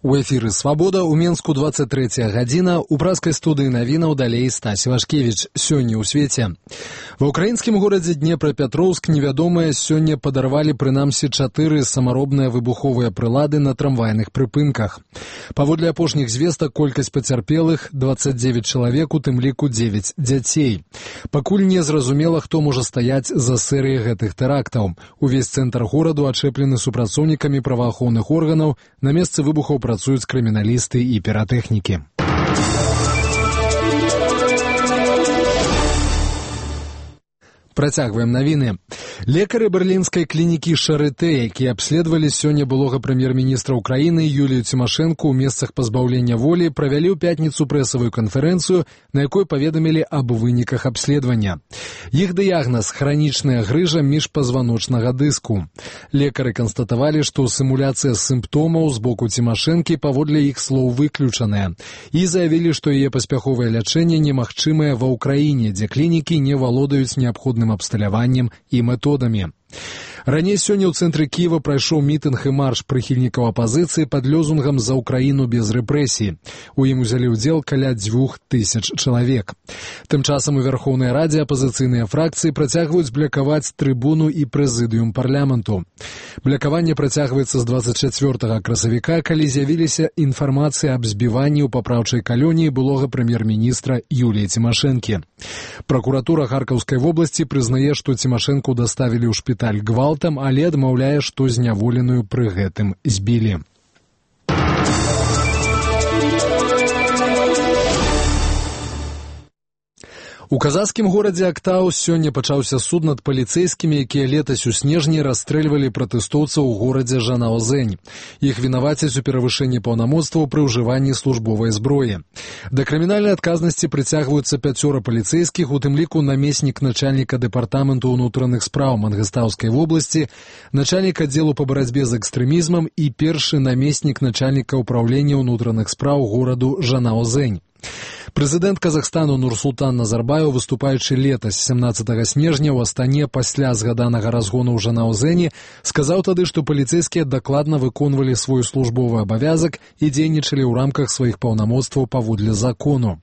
У эфіры «Свабода» у Менску 23 гадзіна, у праскай студыі навінаў далей Стась Вашкевіч. Сёння ў свеце. Ва ўкраінскім горадзе Днепрапетроўск невядомыя сёння падарвалі прынамсі 4 самаробныя выбуховыя прылады на трамвайных прыпынках. Паводле апошніх звестак колькасць пацярпелых 29 чалавек, у тым ліку 9 дзяцей. Пакуль не зразумела, хто можа стаяць за серыяй гэтых тэрактаў. Увесь цэнтр гораду ачэплены супрацоўнікамі праваахоўных органаў, на месцы выбухаў працуюць крыміналісты і піратэхнікі. Працягваем навіны. Лекары берлінскай клінікі Шарытэ, якія абследавалі сёння былога прэм'ер-міністра ўкраіны Юлію Цімашэнку ў месцах пазбаўлення волі, правялі ў пятніцу прэсавую канферэнцыю, на якой паведамілі аб выніках абследавання. Іх дыягназ – хранічная грыжа міжпазваночнага дыску. Лекары канстатавалі, што сімуляцыя сімптомаў з боку Цімашэнкі паводле іх слоў выключаная, і заявілі, што яе паспяховае лячэнне немагчымае ва ўкраіне, дзе клінікі не валодаюць неабходным абсталяваннем і методамі. Раней сёння ў цэнтры Кіева прайшоў мітынг і марш прыхільнікаў апазіцыі пад лёзунгам «За ўкраіну без рэпрэсій». У ім узялі ўдзел каля 2000 чалавек. Тым часам у Верхоўнай Радзе апазіцыйныя фракцыі працягваюць блякаваць трыбуну і прэзідыум парламенту. Блякаванне працягваецца з 24 красавіка, калі з'явіліся інфармацыі аб збіванні ў папраўчай калоніі былога прэм'ер-міністра Юліі Цімашэнкі. Пракуратура Харкаўскай вобласці прызнае, што Цімашэнку даставілі ў шпіталь гвалтам, але адмаўляе, што зняволеную пры гэтым збілі. У казахскім горадзе Актау сёння пачаўся суд над паліцэйскімі, якія летась у снежні расстрэльвалі пратэстоўцаў у горадзе Жанаозэнь. Іх вінавацяць у перавышэнні паўнамоцтваў пры ўжыванні службовай зброі. Да крымінальнай адказнасці прыцягваюцца 5 паліцэйскіх, у тым ліку намеснік начальніка дэпартаменту ўнутраных спраў Мангыстаўскай вобласці, начальнік аддзелу па барацьбе з экстрэмізмам і першы намеснік начальніка ўпраўлення ўнутраных спраў гораду Жанаозэнь. Прэзідэнт Казахстану Нурсултан Назарбаев, выступаючы летась 17 снежня ў Астане пасля згаданага разгону ў Жанаозэні, сказаў тады, што паліцэйскія дакладна выконвалі свой службовы абавязак і дзейнічалі ў рамках сваіх паўнамоцтваў паводле закону.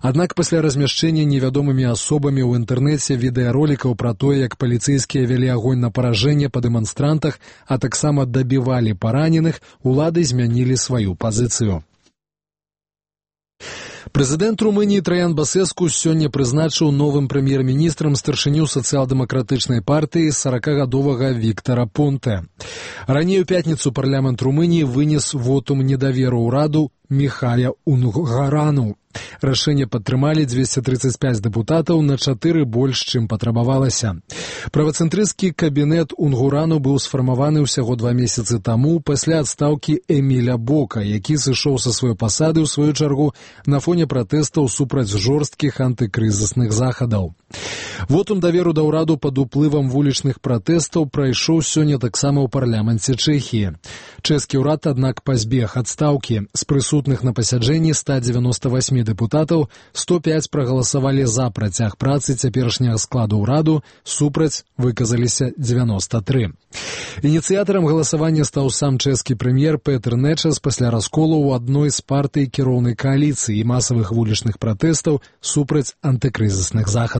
Аднак пасля размяшчэння невядомымі асобамі ў інтэрнэце відэаролікаў пра тое, як паліцэйскія вялі агонь на паражэнне па дэманстрантах, а таксама дабівалі параненых, улады змянілі сваю пазіцыю. Прэзідэнт Румыніі Траян Басэску сёння прызначыў новым прэм'ер-міністрам старшыню сацыял-дэмакратычнай партыі 40гадовага Віктара Понтэ. Раней у пятніцу парламент Румыніі вынес вотум недаверу ўраду Михая Унгурану. Рашэнне падтрымалі 235 дэпутатаў, на 4 больш, чым патрабавалася. Правацэнтрысцкі кабінет Унгурану быў сфармаваны ўсяго 2 месяцы таму пасля адстаўкі Эміля Бока, які сышоў са сваёй пасады, ў сваю чаргу, на фоне пратэстаў супраць жорсткіх антыкрызісных захадаў. Вотум даверу да ўраду пад уплывам вулічных пратэстаў прайшоў сёння таксама ў парламенце Чэхіі. Чэшскі ўрад, аднак, пазбег адстаўкі. З прысутных на пасяджэнні 198 дэпутатаў 105 прагаласавалі за працяг працы цяперашняга складу ўраду, супраць выказаліся 93. Ініцыятарам галасавання стаў сам чэшскі прэм'ер Петр Нечас пасля расколу ў адной з партый кіроўнай кааліцыі і масавых вулічных пратэстаў супраць антыкрызісных захадаў.